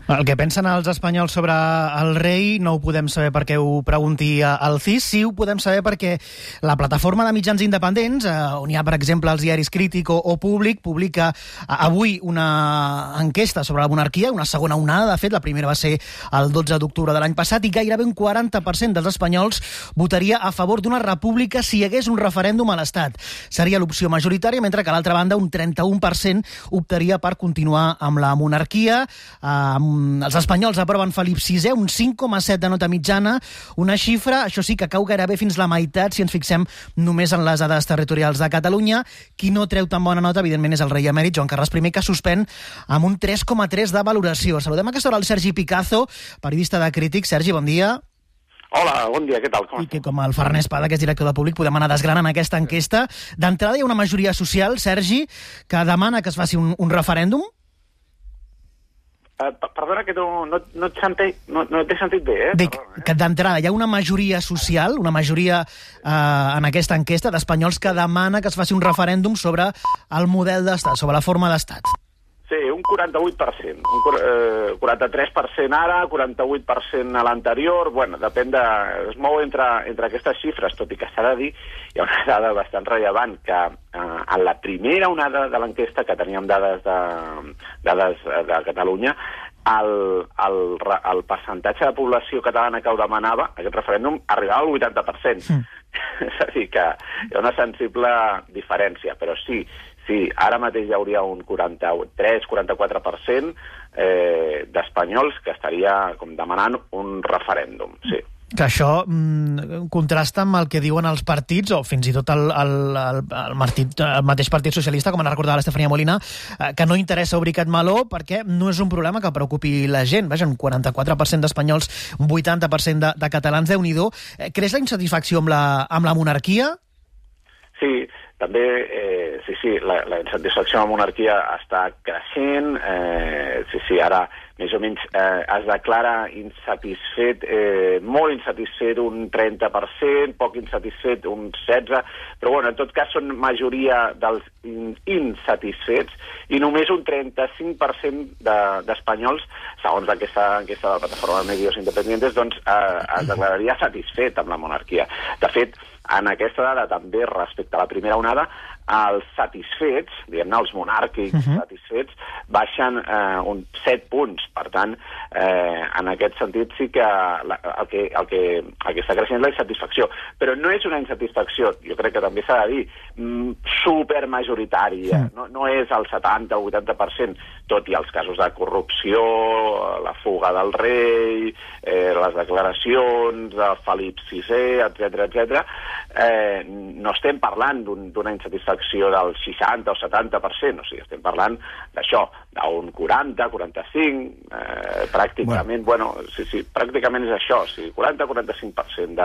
El que pensen els espanyols sobre el rei no ho podem saber perquè ho pregunti al CIS, sí ho podem saber perquè la plataforma de mitjans independents, on hi ha, per exemple, els diaris Crític o Públic, publica avui una enquesta sobre la monarquia, una segona onada, de fet, la primera va ser el 12 d'octubre de l'any passat, i gairebé un 40% dels espanyols votaria a favor d'una república si hi hagués un referèndum a l'Estat. Seria l'opció majoritària, mentre que a l'altra banda un 31% optaria per continuar amb la monarquia. Els espanyols aproven Felip VI, un 5,7 de nota mitjana, una xifra, això sí, que cau gairebé fins la meitat si ens fixem només en les dades territorials de Catalunya. Qui no treu tan bona nota, evidentment, és el rei emèrit Joan Carles I, que suspèn amb un 3,3 de valoració. Saludem a aquesta hora el Sergi Picazo, periodista de Crític. Sergi, bon dia. Hola, bon dia, què tal? I que com el Ferran Espada, que és director de Públic, podem anar desgranant aquesta enquesta. D'entrada hi ha una majoria social, Sergi, que demana que es faci un referèndum. Perdona, que no t'he sentit bé, Dic que d'entrada hi ha una majoria social, una majoria en aquesta enquesta d'espanyols que demana que es faci un referèndum sobre el model d'estat, sobre la forma d'estat. Sí, un 48%, un 43% ara, 48% a l'anterior, bueno, depèn de... es mou entre aquestes xifres, tot i que s'ha de dir, hi ha una dada bastant rellevant, que en la primera onada de l'enquesta, que teníem dades de Catalunya, el percentatge de població catalana que ho demanava, aquest referèndum, arribava al 80%. És a dir, que hi ha una sensible diferència, però sí, ara mateix hi hauria un 43-44% d'espanyols que estaria com demanant un referèndum, sí. Que això contrasta amb el que diuen els partits, o fins i tot el mateix Partit Socialista, com ha recordat l'Estefania Molina, que no interessa obrir aquest meló perquè no és un problema que preocupi la gent. Vaja, un 44% d'espanyols, un 80% de catalans, Déu-n'hi-do. Creix la insatisfacció amb la monarquia? Sí, també, la insatisfacció amb la monarquia està creixent, ara més o menys es declara insatisfet, molt insatisfet un 30%, poc insatisfet un 16%, però bueno, en tot cas són majoria dels insatisfets i només un 35% d'espanyols, segons aquesta enquesta de la plataforma de medios independientes, doncs es declararia satisfet amb la monarquia. De fet, en aquesta dada també respecte a la primera onada, els satisfets, diguem-ne, els monàrquics satisfets, baixen uns 7 punts. Per tant, en aquest sentit sí que el que està creixent és la insatisfacció. Però no és una insatisfacció, jo crec que també s'ha de dir, supermajoritària. No és el 70 o 80%, tot i els casos de corrupció, la fuga del rei, les declaracions de Felip VI, etc. No estem parlant d'una insatisfacció del 60 o 70%, o sigui, estem parlant d'això, d'un 40, 45, pràcticament, pràcticament és això, o sigui, 40-45%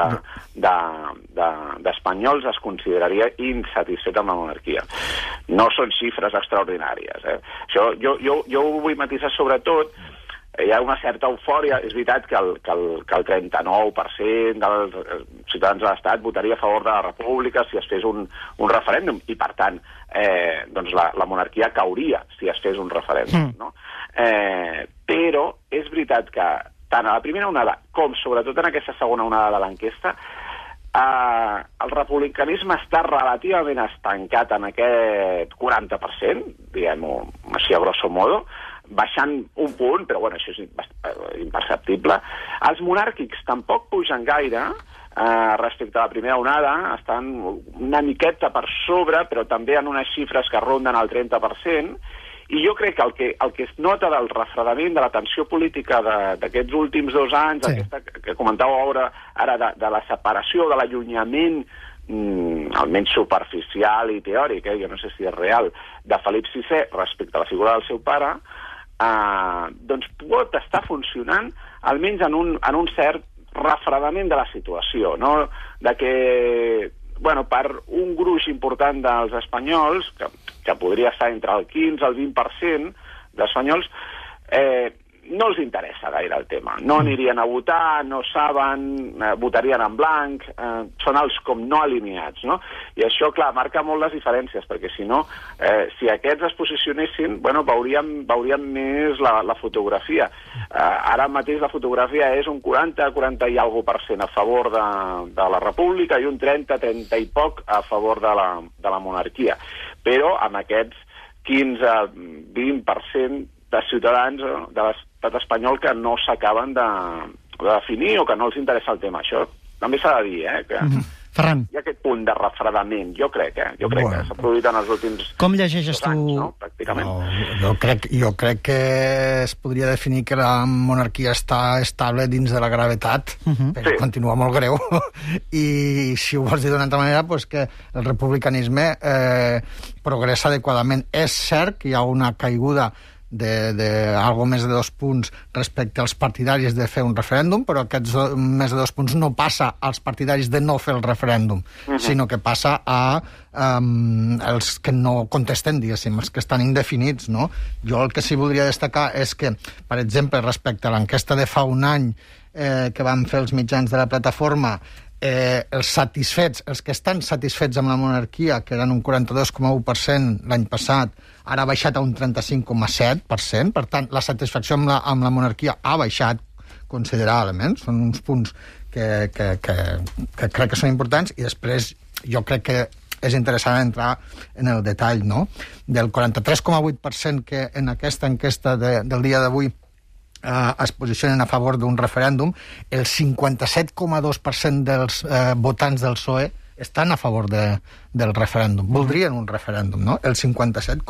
d'espanyols es consideraria insatisfet amb la monarquia. No són xifres extraordinàries. Això, jo ho vull matisar sobretot. Hi ha una certa eufòria. És veritat que el 39% dels ciutadans de l'Estat votaria a favor de la república si es fes un referèndum i, per tant, doncs la monarquia cauria si es fes un referèndum. No? Però és veritat que tant a la primera onada com sobretot en aquesta segona onada de l'enquesta el republicanisme està relativament estancat en aquest 40%, diguem-ho així a grosso modo, baixant un punt, però bueno, això és imperceptible. Els monàrquics tampoc pugen gaire respecte a la primera onada, estan una miqueta per sobre, però també en unes xifres que ronden el 30%, i jo crec que el que es nota del refredament de la tensió política d'aquests últims 2 anys, aquesta que comentàveu ara de la separació, de l'allunyament almenys superficial i teòric, jo no sé si és real, de Felip VI respecte a la figura del seu pare, doncs pot estar funcionant almenys en un cert refredament de la situació, no? De que, bueno, per un gruix important dels espanyols, que podria estar entre el 15 i el 20% d'espanyols, no els interessa gaire el tema. No anirien a votar, no saben, votarien en blanc, són els com no alineats, no? I això, clar, marca molt les diferències, perquè si no, si aquests es posicionessin, bueno, veuríem més la fotografia. Ara mateix la fotografia és un 40 i alguna % a favor de la república i un 30 i poc a favor de la monarquia. Però amb aquests 15-20% de ciutadans de l'estat espanyol que no s'acaben de definir o que no els interessa el tema. Això també s'ha de dir, que Ferran. Hi ha aquest punt de refredament, jo crec que s'ha produït en els últims com llegeixes 2 anys, tu? no? Pràcticament. No, jo crec que es podria definir que la monarquia està estable dins de la gravetat, però continua molt greu. I si ho vols dir d'una altra manera, pues que el republicanisme progressa adequadament. És cert que hi ha una caiguda d'algo més de 2 punts respecte als partidaris de fer un referèndum, però aquests més de 2 punts no passa als partidaris de no fer el referèndum, sinó que passa a els que no contesten, diguéssim, els que estan indefinits, no? Jo el que sí voldria destacar és que, per exemple, respecte a l'enquesta de fa un any que van fer els mitjans de la plataforma, els que estan satisfets amb la monarquia, que eren un 42,1% l'any passat, ara ha baixat a un 35,7%, per tant, la satisfacció amb la monarquia ha baixat considerablement, són uns punts que crec que són importants, i després jo crec que és interessant entrar en el detall, no? Del 43,8% que en aquesta enquesta del dia d'avui es posicionen a favor d'un referèndum, el 57,2% dels votants del PSOE estan a favor del referèndum, voldrien un referèndum, no? El 57,2%.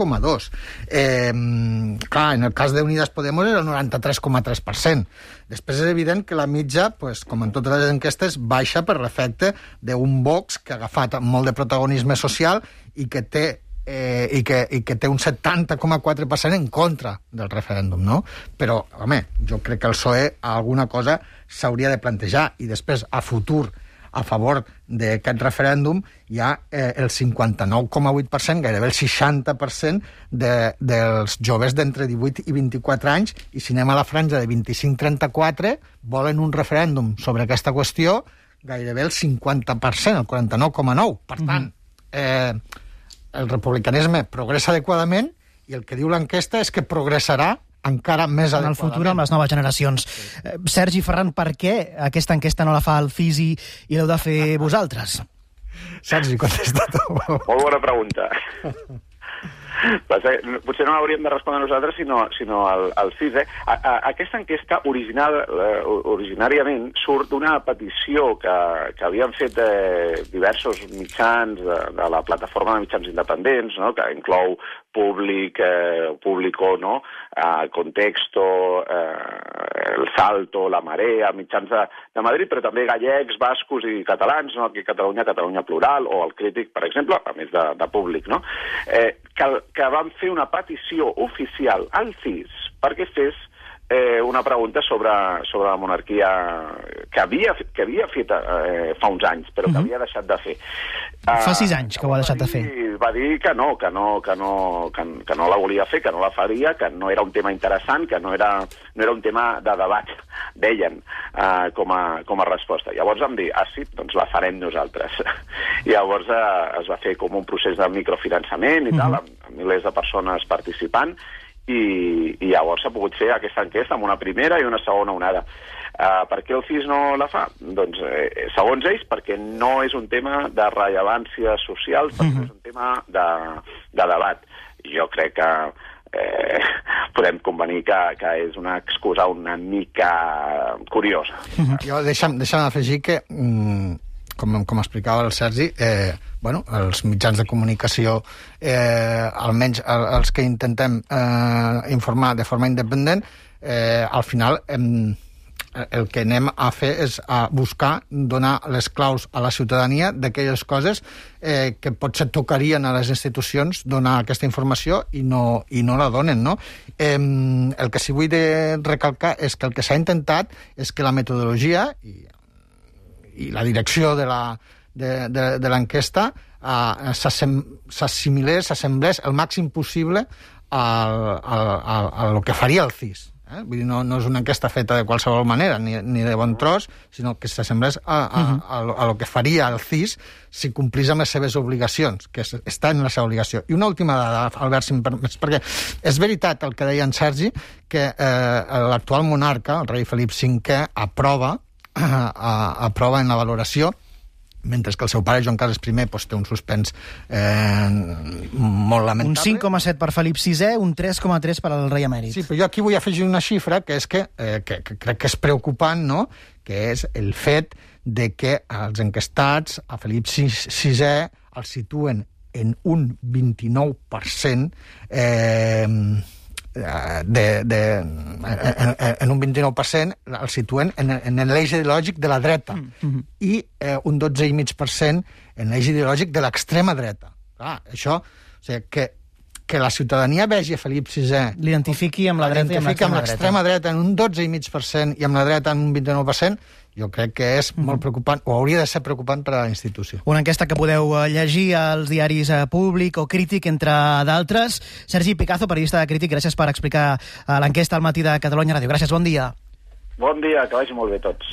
Clar, en el cas d'Unidas Podemos era el 93,3%. Després és evident que la mitja, pues, com en totes les enquestes, baixa per l'efecte d'un Vox que ha agafat molt de protagonisme social i que té un 70,4% en contra del referèndum, no? Però, home, jo crec que el PSOE alguna cosa s'hauria de plantejar, i després, a futur, a favor d'aquest referèndum, hi ha el 59,8%, gairebé el 60% dels joves d'entre 18 i 24 anys, i si anem a la franja de 25-34, volen un referèndum sobre aquesta qüestió, gairebé el 50%, el 49,9%. Per tant, el republicanisme progressa adequadament, i el que diu l'enquesta és que progressarà encara més adequadament. En el futur amb les noves generacions. Sergi, Ferran, per què aquesta enquesta no la fa el CIS i l'heu de fer vosaltres? Sergi, contesta tu. Molt bona pregunta. Potser no l'hauríem de respondre nosaltres, sinó al CIS. Aquesta enquesta originàriament surt d'una petició que havien fet diversos mitjans de la plataforma de mitjans independents, no? Que inclou Público, no? Contexto, El Salto, La Marea, mitjans de Madrid, però també gallecs, bascos i catalans, no? Aquí a Catalunya Plural, o El Crític, per exemple, a més de Públic, no? Que van fer una petició oficial al CIS perquè fes una pregunta sobre la monarquia que havia fet fa uns anys, però que havia deixat de fer. Fa 6 anys que ho ha deixat de fer. Va dir que no la volia fer, que no la faria, que no era un tema interessant, que no era un tema de debat, deien, com a resposta. Llavors vam dir, sí, doncs la farem nosaltres. I llavors es va fer com un procés de microfinançament i tal, amb milers de persones participant, i llavors s'ha pogut fer aquesta enquesta amb una primera i una segona onada. Per què el CIS no la fa? Doncs, segons ells, perquè no és un tema de rellevància social, perquè és un tema de debat. Jo crec que podem convenir que és una excusa una mica curiosa. Jo deixa'm afegir que, com explicava el Sergi, els mitjans de comunicació, almenys els que intentem informar de forma independent, al final el que anem a fer és a buscar donar les claus a la ciutadania d'aquelles coses que potser tocarien a les institucions donar aquesta informació i no la donen, no? El que sí vull recalcar és que el que s'ha intentat és que la metodologia i la direcció de l'enquesta s'assemblés el màxim possible a lo que faria el CIS. Vull dir, no és una enquesta feta de qualsevol manera, ni de bon tros, sinó que s'assemblés a lo que faria el CIS si complís amb les seves obligacions, que està en la seva obligació. I una última dada, Albert, si em permets, perquè és veritat el que deia en Sergi, que l'actual monarca, el rei Felip V, aprova en la valoració, mentre que el seu pare, Joan Carles I, té un suspens molt lamentable. Un 5,7 per Felip VI, un 3,3 per al rei emèrit. Sí, però jo aquí vull afegir una xifra que és que crec que és preocupant, no?, que és el fet de que els enquestats a Felip VI el situen en un 29% en un 29% el situen en l'eix ideològic de la dreta i un 12,5% en l'eix ideològic de l'extrema dreta. Clar, això, o sigui, que la ciutadania vegi a Felip VI... L'identifiqui amb la dreta i amb l'extrema dreta en un 12,5% i amb la dreta en un 29%, jo crec que és molt preocupant, o hauria de ser preocupant per a la institució. Una enquesta que podeu llegir als diaris Públic o Crític, entre d'altres. Sergi Picazo, periodista de Crític, gràcies per explicar l'enquesta al Matí de Catalunya Ràdio. Gràcies, bon dia. Bon dia, que vagi molt bé tots.